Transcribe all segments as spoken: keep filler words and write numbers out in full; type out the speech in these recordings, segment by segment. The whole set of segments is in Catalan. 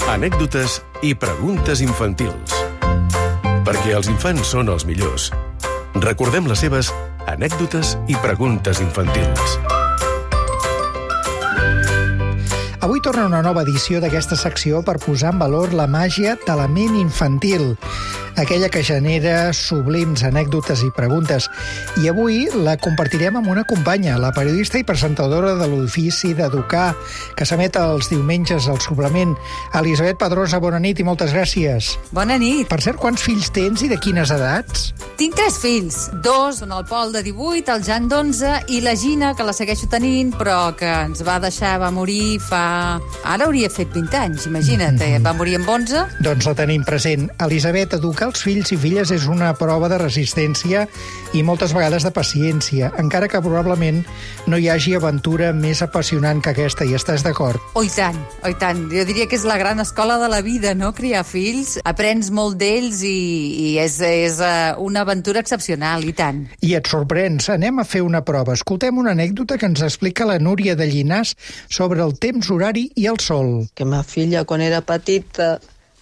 Anècdotes i preguntes infantils. Perquè els infants són els millors. Recordem les seves anècdotes i preguntes infantils. Avui torna una nova edició d'aquesta secció per posar en valor la màgia de la ment infantil, aquella que genera sublims anècdotes i preguntes. I avui la compartirem amb una companya, la periodista i presentadora de l'Ofici d'Educar, que s'emet els diumenges al suplement. Elisabet Pedrosa, bona nit i moltes gràcies. Bona nit. Per cert, quants fills tens i de quines edats? Tinc tres fills. Dos, el Pol de divuit, el Jan d'onze i la Gina, que la segueixo tenint, però que ens va deixar, va morir fa... Ara hauria fet vint anys, imagina't, eh? Va morir amb onze. Doncs la tenim present. Elisabet, educar els fills i filles és una prova de resistència i moltes vegades de paciència, encara que probablement no hi hagi aventura més apassionant que aquesta, i estàs d'acord? Oh, i tant, oh, i tant. Jo diria que és la gran escola de la vida, no?, criar fills. Aprens molt d'ells i, i és, és una aventura excepcional, i tant. I et sorprens. Anem a fer una prova. Escoltem una anècdota que ens explica la Núria de Llinàs sobre el temps horari i el sol. Que ma filla, quan era petita,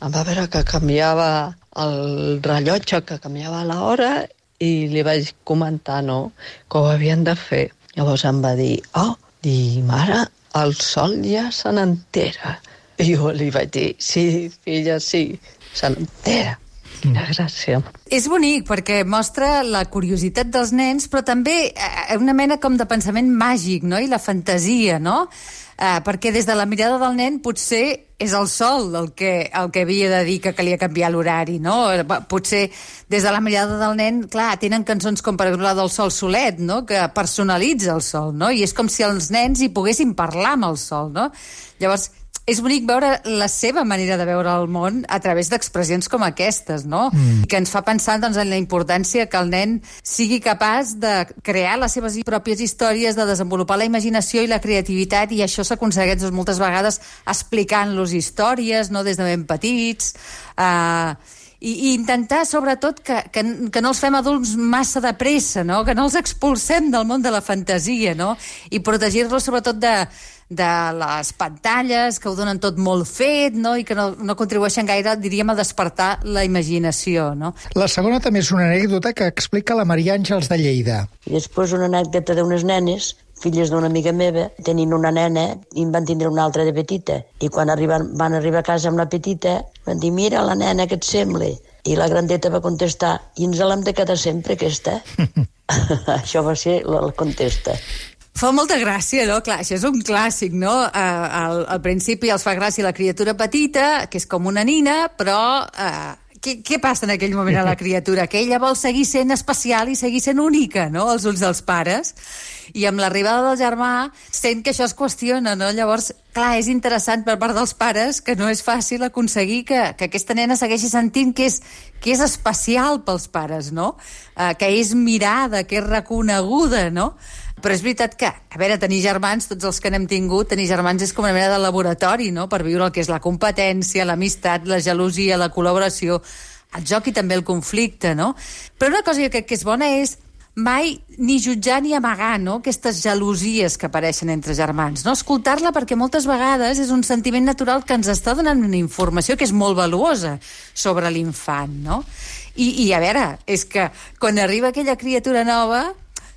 em va veure que canviava el rellotge, que canviava l'hora, i li vaig comentar, no?, que ho havien de fer. Llavors em va dir, oh, di, mare, el sol ja se n'entera. I jo li vaig dir, sí, filla, sí, se n'entera. Quina gràcia. És bonic perquè mostra la curiositat dels nens, però també una mena com de pensament màgic, no?, i la fantasia, no?, eh, perquè des de la mirada del nen potser és el sol el que, el que havia de dir que calia canviar l'horari, no? Potser des de la mirada del nen, clar, tenen cançons com per exemple la del Sol Solet, no?, que personalitza el sol, no?, i és com si els nens hi poguessin parlar amb el sol, no? Llavors, és bonic veure la seva manera de veure el món a través d'expressions com aquestes, no? Mm. Que ens fa pensar, doncs, en la importància que el nen sigui capaç de crear les seves pròpies històries, de desenvolupar la imaginació i la creativitat, i això s'aconsegueix, doncs, moltes vegades explicant-los històries, no?, des de ben petits, eh... I, i intentar, sobretot, que, que, que no els fem adults massa de pressa, no?, que no els expulsem del món de la fantasia, no?, i protegir-los, sobretot, de, de les pantalles, que ho donen tot molt fet, no?, i que no, no contribueixen gaire, diríem, a despertar la imaginació, no? La segona també és una anècdota que explica la Maria Àngels de Lleida. I després una anècdota d'unes nenes, filles d'una amiga meva, tenint una nena i en van tindre una altra de petita. I quan arriben, van arribar a casa amb la petita, van dir, mira la nena, què et sembla? I la grandeta va contestar, i ens l'hem de quedar sempre, aquesta. Això va ser la, la contesta. Fa molta gràcia, no? Clar, això és un clàssic, no? Uh, al, al principi els fa gràcia la criatura petita, que és com una nina, però... Uh, què, què passa en aquell moment a la criatura? Que ella vol seguir sent especial i seguir sent única, no?, als ulls dels pares. I amb l'arribada del germà sent que això es qüestiona, no? Llavors, clar, és interessant per part dels pares que no és fàcil aconseguir que, que aquesta nena segueixi sentint que és, que és especial pels pares, no? Uh, que és mirada, que és reconeguda, no? Però és veritat que, a veure, tenir germans, tots els que n'hem tingut, tenir germans és com una mena de laboratori, no?, per viure el que és la competència, l'amistat, la gelosia, la col·laboració, el joc i també el conflicte, no? Però una cosa que crec que és bona és mai ni jutjar ni amagar, no?, aquestes gelosies que apareixen entre germans, no? Escoltar-la, perquè moltes vegades és un sentiment natural que ens està donant una informació que és molt valuosa sobre l'infant, no? I, i a veure, és que quan arriba aquella criatura nova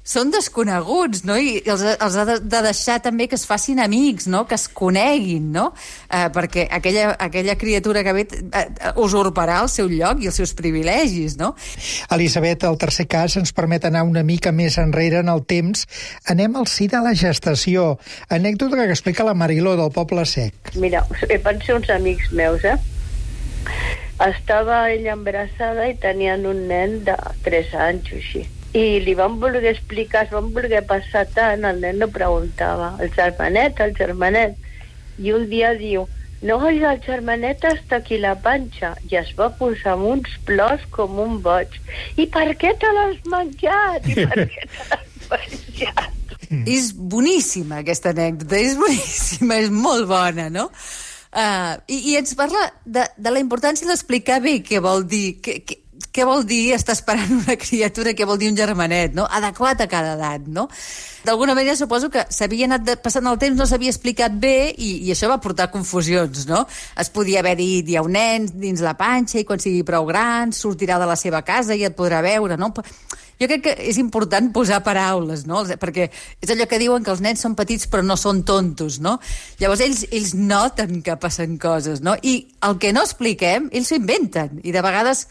són desconeguts, no?, i els, els ha de, de deixar també que es facin amics, no?, que es coneguin, no?, eh, perquè aquella, aquella criatura que ve eh, usurparà el seu lloc i els seus privilegis, no? Elisabet, el tercer cas ens permet anar una mica més enrere en el temps. Anem al si de la gestació. Anècdota que explica la Mariló del Poble Sec. Mira, van ser uns amics meus, eh? Estava ella embarassada i tenien un nen de tres anys o així. I li van voler explicar, es van voler passar tant, el nen no preguntava, el germanet, el germanet. I un dia diu, no, el germanet està aquí la panxa. I es va posar amb uns plors com un boig. I per què te l'has menjat? I per què te l'has menjat? És boníssima aquesta anècdota, és boníssima, és molt bona, no? Uh, i, I ens parla de, de la importància d'explicar bé què vol dir, que, que, què vol dir estar esperant una criatura, què vol dir un germanet, no? Adequat a cada edat, no? D'alguna manera suposo que s'havia anat de, passant el temps, no s'havia explicat bé i, i això va portar confusions, no? Es podia haver dit, hi ha un nen dins la panxa i quan sigui prou gran sortirà de la seva casa i et podrà veure, no? Jo crec que és important posar paraules, no? Perquè és allò que diuen que els nens són petits però no són tontos, no? Llavors ells, ells noten que passen coses, no? I el que no expliquem, ells s'ho inventen. I de vegades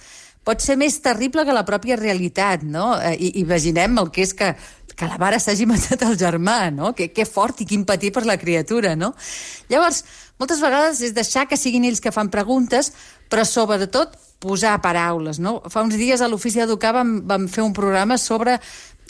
pot ser més terrible que la pròpia realitat, no? I, imaginem el que és que, que la mare s'hagi matat el germà, no? Que, que fort i quin patir per la criatura, no? Llavors, moltes vegades és deixar que siguin ells que fan preguntes, però sobretot posar paraules, no? Fa uns dies a l'Ofici d'Educar vam, vam fer un programa sobre...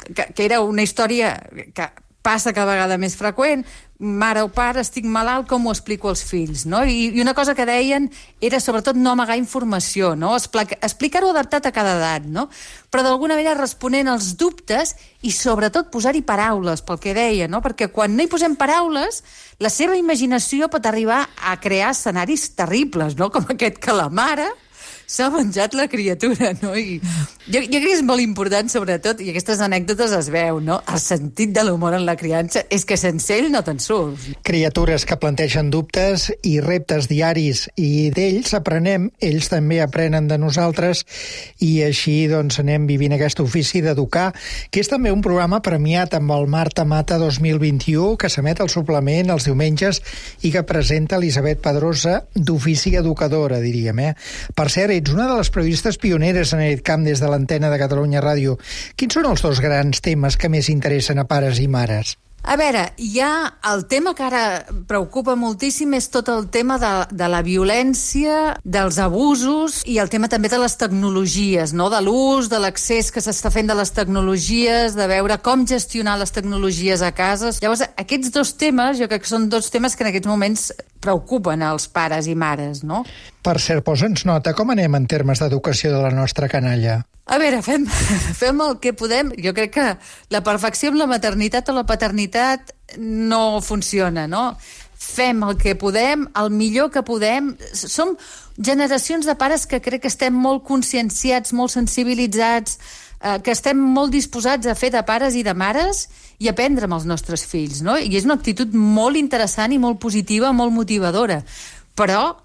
Que, que era una història que passa cada vegada més freqüent. Mare o pare, estic malalt, com ho explico als fills, no? I, i una cosa que deien era sobretot no amagar informació, no? Explicar-ho adaptat a cada edat, no? Però d'alguna manera responent als dubtes i sobretot posar-hi paraules, pel que deia, no? Perquè quan no hi posem paraules, la seva imaginació pot arribar a crear escenaris terribles, no? Com aquest que la mare s'ha menjat la criatura, no? I jo, jo crec que és molt important, sobretot, i aquestes anècdotes es veu, no? El sentit de l'humor en la criança és que sense ell no te'n surts. Criatures que plantegen dubtes i reptes diaris, i d'ells aprenem, ells també aprenen de nosaltres, i així doncs anem vivint aquest ofici d'educar, que és també un programa premiat amb el Marta Mata dos mil vint-i-u, que s'emet al suplement els diumenges i que presenta Elisabet Pedrosa, d'Ofici Educadora, diríem, eh? Per cert, ets una de les periodistes pioneres en aquest camp des de l'antena de Catalunya Ràdio. Quins són els dos grans temes que més interessen a pares i mares? A veure, hi ha el tema que ara preocupa moltíssim, és tot el tema de, de la violència, dels abusos i el tema també de les tecnologies, no? De l'ús, de l'accés que s'està fent de les tecnologies, de veure com gestionar les tecnologies a casa. Llavors, aquests dos temes, jo crec que són dos temes que en aquests moments preocupen als pares i mares, no? Per cert, posa'ns nota, com anem en termes d'educació de la nostra canalla? A veure, fem, fem el que podem. Jo crec que la perfecció amb la maternitat o la paternitat no funciona, no? Fem el que podem, el millor que podem. Som generacions de pares que crec que estem molt conscienciats, molt sensibilitzats, eh, que estem molt disposats a fer de pares i de mares i aprendre amb els nostres fills, no? I és una actitud molt interessant i molt positiva, molt motivadora. Però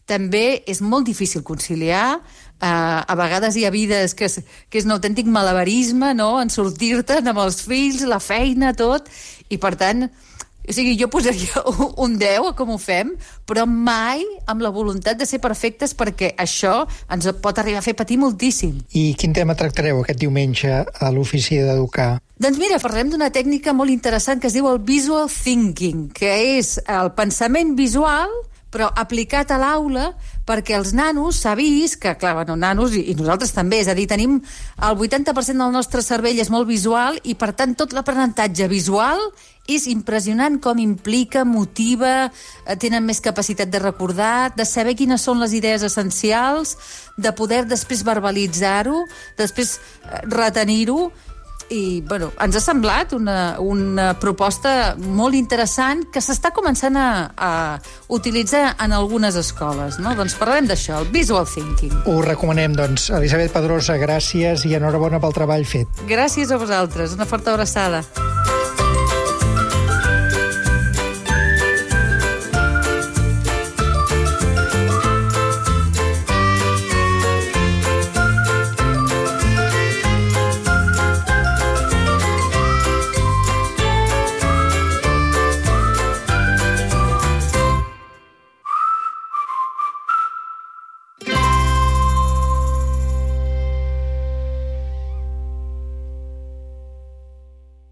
també és molt difícil conciliar. Uh, a vegades hi ha vides que és, que és un autèntic malabarisme, no?, en sortir-te'n amb els fills, la feina, tot, i per tant, o sigui, jo posaria un deu a com ho fem, però mai amb la voluntat de ser perfectes, perquè això ens pot arribar a fer patir moltíssim. I quin tema tractareu aquest diumenge a l'Ofici d'Educar? Doncs mira, parlem d'una tècnica molt interessant que es diu el visual thinking, que és el pensament visual però aplicat a l'aula, perquè els nanos s'ha vist que, clar, bueno, nanos i, i nosaltres també, és a dir, tenim el vuitanta per cent del nostre cervell és molt visual i, per tant, tot l'aprenentatge visual és impressionant com implica, motiva, tenen més capacitat de recordar, de saber quines són les idees essencials, de poder després verbalitzar-ho, després retenir-ho. I, bueno, ens ha semblat una, una proposta molt interessant que s'està començant a, a utilitzar en algunes escoles, no? Doncs parlarem d'això, el visual thinking. Ho recomanem, doncs. Elisabet Pedrosa, gràcies i enhorabona pel treball fet. Gràcies a vosaltres, una forta abraçada.